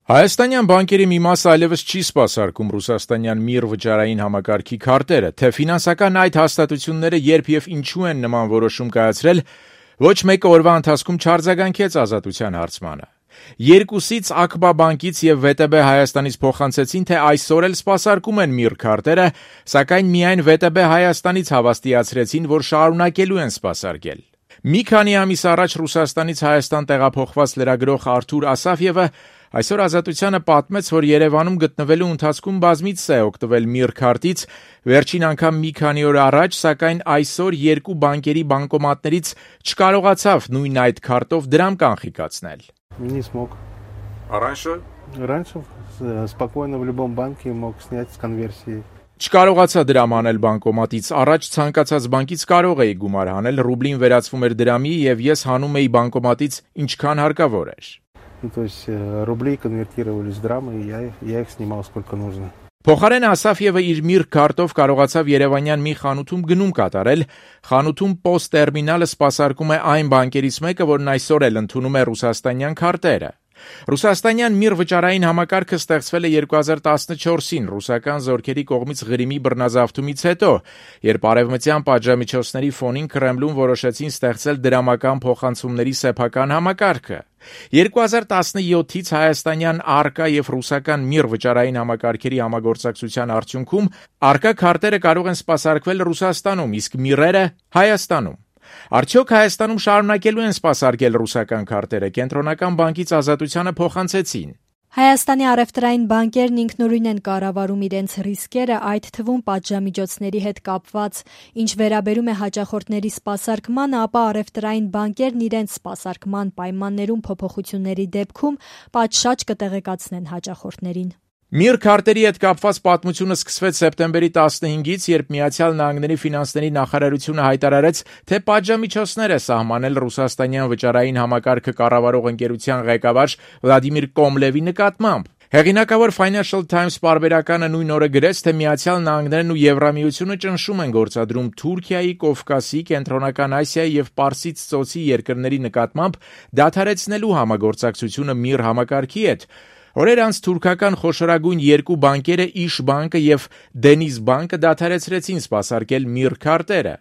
Հայաստանյան բանկերի մի մասը այլևս չի սպասարկում ռուսաստանյան ՄԻՌ վճարային համակարգի քարտերը, թե ֆինանսական այդ հաստատությունները երբ եւ ինչու են նման որոշում կայացրել, ոչ մեկը օրվա ընթացքում չարձագանքեց Ազատության հարցմանը։ Երկուսից ԱԿԲԱ բանկից եւ ՎՏԲ Հայաստանից փոխանցեցին, թե այսօր էլ սպասարկում են ՄԻՌ քարտերը, սակայն միայն ՎՏԲ Հայաստանից հավաստիացրեցին, որ շարունակելու են սպասարկել։ Մի քանի ամիս առաջ Ռուսաստանից Հայաստան տեղափոխված լրագրող Արթուր Ասաֆյևը այսօր Ազատությանը պատմեց, որ Երևանում գտնվելու ընթացքում բազմիցս է օգտվել ՄԻՌ քարտից, վերջին անգամ մի քանի օր առաջ, սակայն այսօր երկու բանկերի բանկոմատներից չկարողացավ նույն այդ քարտով դրամ կանխիկացնել։ Не смог. А раньше? Раньше спокойно в любом банке мог снять с конверсии. Չկարողացա դրամ անել բանկոմատից, առաջ ցանկացած բանկից կարող էի գումար հանել, ռուբլին վերածվում էր դրամի եւ ես հանում էի բանկոմատից ինչքան հարկավոր էր։ То есть рубли конвертировались в драмы, и я их снимал сколько нужно. Փոխարեն Ասաֆյևը իր ՄԻՌ քարտով կարողացավ Երևանյան մի խանութում գնում կատարել, խանութում POS տերմինալը սպասարկում է այն բանկերից մեկը, որն այսօր էլ ընդունում է ռուսաստանյան քարտերը։ Ռուսաստանյան ՄԻՌ վճարային համակարգը ստեղծվել է 2014-ին ռուսական զորքերի կողմից Ղրիմի բռնազավթումից հետո, երբ արևմտյան պատժամիջոցների ֆոնին Կրեմլում որոշեցին ստեղծել դրամական փոխանցումների սեփական համակարգը։ 2017-ից հայաստանյան ԱՌԿԱ եւ ռուսական ՄԻՌ վճարային համակարգերի համագործակցության արդյունքում ԱՌԿԱ քարտերը կարող են սպասարկվել Ռուսաստանում, իսկ ՄԻՌերը Հայաստանում։ Արդյոք Հայաստանում շարունակելու են սպասարկել ռուսական քարտերը, Կենտրոնական բանկից Ազատությանը փոխանցեցին։ Հայաստանի առևտրային բանկերն ինքնուրույն են կառավարում իրենց ռիսկերը, այդ թվում պատժամիջոցների հետ կապված։ Ինչ վերաբերում է հաճախորդների սպասարկմանը, ապա առևտրային բանկերն իրենց սպասարկման պայմաններում փոփոխությունների դեպքում պատշաճ կտեղեկացնեն հաճախորդներին։ ՄԻՌ քարտերի հետ կապված պատմությունը սկսվեց սեպտեմբերի 15-ից, երբ Միացյալ Նահանգների ֆինանսների նախարարությունը հայտարարեց, թե պատժամիջոցներ է սահմանել ռուսաստանյան վճարային համակարգը կառավարող ընկերության ղեկավար Վլադիմիր Կոմլևի նկատմամբ։ Հեղինակավոր Financial Times պարբերականը նույն օրը գրեց, թե Միացյալ Նահանգներն ու Եվրամիությունը ճնշում են գործադրում Թուրքիայի, Կովկասի, Կենտրոնական Ասիայի եւ Պարսից ծոցի երկրների նկատմամբ դադարեցնելու համագործակցությունը ՄԻՌ համակարգի հետ։ Օրեր անց թուրքական խոշորագույն երկու բանկերը Իշ բանկը եւ Դենիզ բանկը դադարեցրեցին սպասարկել ՄԻՌ քարտերը։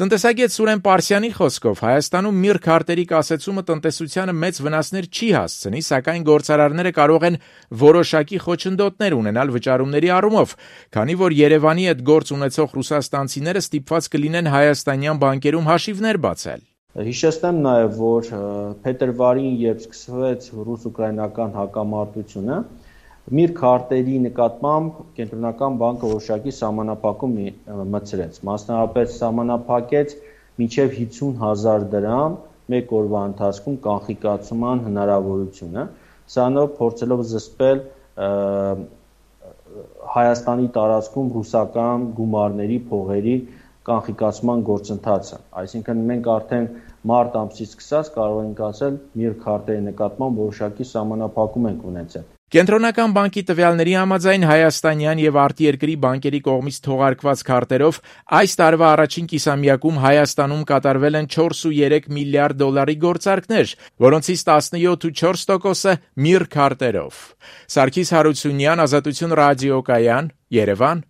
Տնտեսագետ Սուրեն Պարսյանի խոսքով Հայաստանում ՄԻՌ քարտերի կասեցումը տնտեսությանը մեծ վնասներ չի հասցնի, սակայն գործարարները կարող են որոշակի խոչընդոտներ ունենալ վճարումների առումով, քանի որ Երևանի հետ գործ ունեցող ռուսաստանցիները ստիպված կլինեն հայաստանյան բանկերում հաշիվներ բացել։ Հիշեցնեմ նաև, որ փետրվարին, երբ սկսվեց ռուս-ուկրաինական հակամարտությունը, ՄԻՌ քարտերի նկատմամբ Կենտրոնական բանկը որոշակի սահմանափակում մտցրեց, մասնավորապես սահմանափակեց մինչև 50,000 դրամ մեկ օրվա ընթացքում կանխիկացման հնարավորությունը, սրանով փորձելով զսպել Հայաստանի տարածքում ռուսական գումարների փողերի կանխիկացման գործընթացը, այսինքն մենք արդեն մարտ ամսից սկսած կարող ենք ասել ՄԻՌ քարտերի նկատմամբ որոշակի սահմանափակում ենք ունեցել։ Կենտրոնական բանկի տվյալների համաձայն հայաստանյան եւ արտերկրի բանկերի կողմից թողարկված քարտերով այս տարվա առաջին կիսամյակում Հայաստանում կատարվել են 4.3 միլիարդ դոլարի գործարքներ, որոնցից 17.4%-ը ՄԻՌ քարտերով։ Սարգիս Հարությունյան, Ազատություն ռադիոկայան, Երևան։